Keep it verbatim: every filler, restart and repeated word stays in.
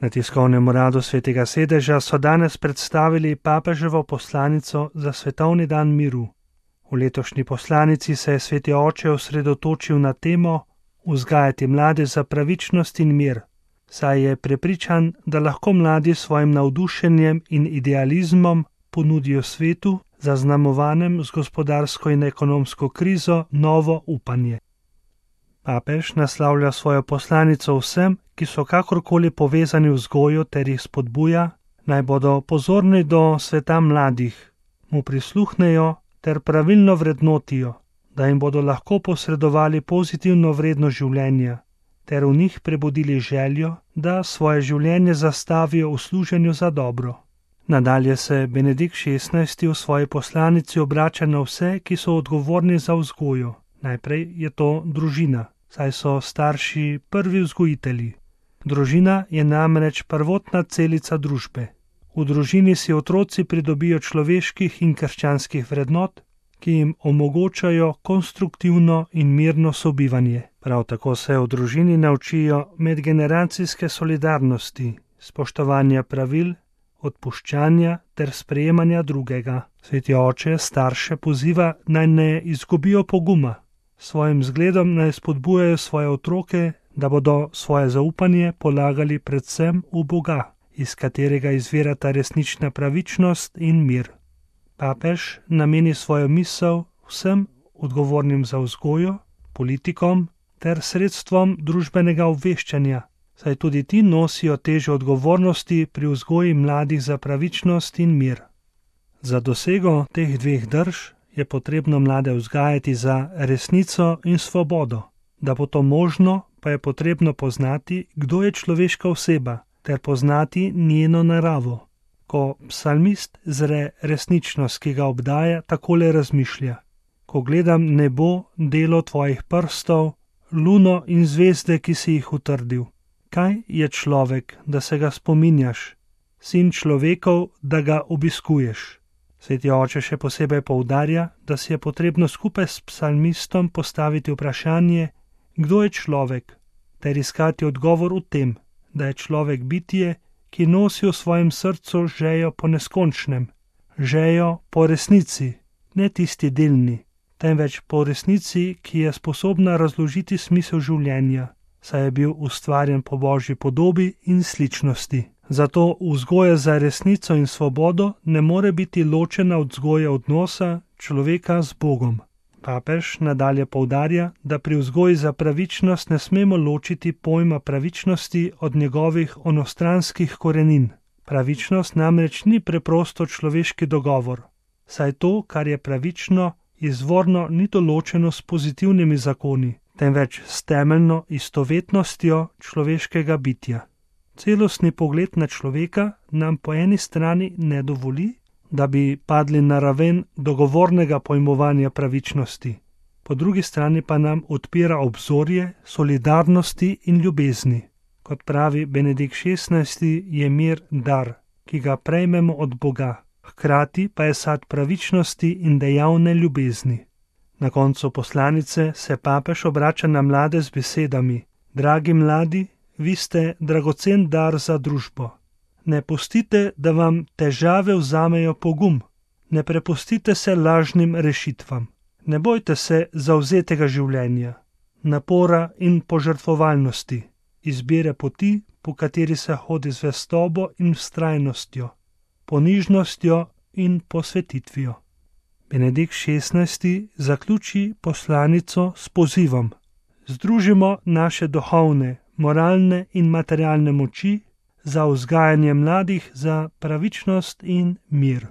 Na tiskovnem uradu Svetega sedeža so danes predstavili papeževo poslanico za svetovni dan miru. V letošnji poslanici se je Sveti oče osredotočil na temo vzgajati mlade za pravičnost in mir, saj je prepričan, da lahko mladi s svojim navdušenjem in idealizmom ponudijo svetu, zaznamovanem z gospodarsko in ekonomsko krizo, novo upanje. Papež naslavlja svojo poslanico vsem, ki so kakorkoli povezani v vzgojo ter jih spodbuja, naj bodo pozorni do sveta mladih, mu prisluhnejo ter pravilno vrednotijo, da jim bodo lahko posredovali pozitivno vrednost življenja, ter v njih prebudili željo, da svoje življenje zastavijo v služenju za dobro. Nadalje se Benedikt šestnajsti v svoji poslanici obrača na vse, ki so odgovorni za vzgojo. Najprej je to družina, saj so starši prvi vzgojitelji. Družina je namreč prvotna celica družbe. V družini si otroci pridobijo človeških in krščanskih vrednot, ki jim omogočajo konstruktivno in mirno sobivanje. Prav tako se v družini naučijo medgeneracijske solidarnosti, spoštovanja pravil, odpuščanja ter sprejemanja drugega. Sveti oče starše poziva, naj ne izgubijo poguma. Svojim zgledom naj spodbujajo svoje otroke, da bodo svoje zaupanje polagali predvsem v Boga, iz katerega izvirata resnična pravičnost in mir. Papež nameni svojo misel vsem odgovornim za vzgojo, politikom ter sredstvom družbenega obveščanja, saj tudi ti nosijo težo odgovornosti pri vzgoji mladih za pravičnost in mir. Za dosego teh dveh drž je potrebno mlade vzgajati za resnico in svobodo. Da bo to možno, pa je potrebno poznati, kdo je človeška oseba, ter poznati njeno naravo. Ko psalmist zre resničnost, ki ga obdaja, takole razmišlja: ko gledam nebo, delo tvojih prstov, luno in zvezde, ki si jih utrdil. Kaj je človek, da se ga spominjaš, sin človekov, da ga obiskuješ? Sveti oče še posebej poudarja, da si je potrebno skupaj s psalmistom postaviti vprašanje, kdo je človek, ter iskati odgovor v tem, da je človek bitje, ki nosi v svojem srcu žejo po neskončnem, žejo po resnici, ne tisti delni, temveč po resnici, ki je sposobna razložiti smisel življenja, saj je bil ustvarjen po Božji podobi in sličnosti. Zato vzgoja za resnico in svobodo ne more biti ločena od vzgoje odnosa človeka z Bogom. Papež nadalje poudarja, da pri vzgoji za pravičnost ne smemo ločiti pojma pravičnosti od njegovih onostranskih korenin. Pravičnost namreč ni preprosto človeški dogovor, saj to, kar je pravično, izvorno ni določeno s pozitivnimi zakoni, temveč s temeljno istovetnostjo človeškega bitja. Celostni pogled na človeka nam po eni strani ne dovoli, da bi padli na raven dogovornega pojmovanja pravičnosti, po drugi strani pa nam odpira obzorje solidarnosti in ljubezni. Kot pravi Benedikt šestnajsti, je mir dar, ki ga prejmemo od Boga, hkrati pa je sad pravičnosti in dejavne ljubezni. Na koncu poslanice se papež obrača na mlade z besedami: dragi mladi, vi ste dragocen dar za družbo. Ne pustite, da vam težave vzamejo pogum. Ne prepustite se lažnim rešitvam. Ne bojte se zavzetega življenja, napora in požrtvovalnosti, izbire poti, po kateri se hodi z zvestobo in vztrajnostjo, ponižnostjo in posvetitvijo. Benedikt šestnajsti zaključi poslanico s pozivom: združimo naše duhovne, moralne in materialne moči za vzgajanje mladih za pravičnost in mir.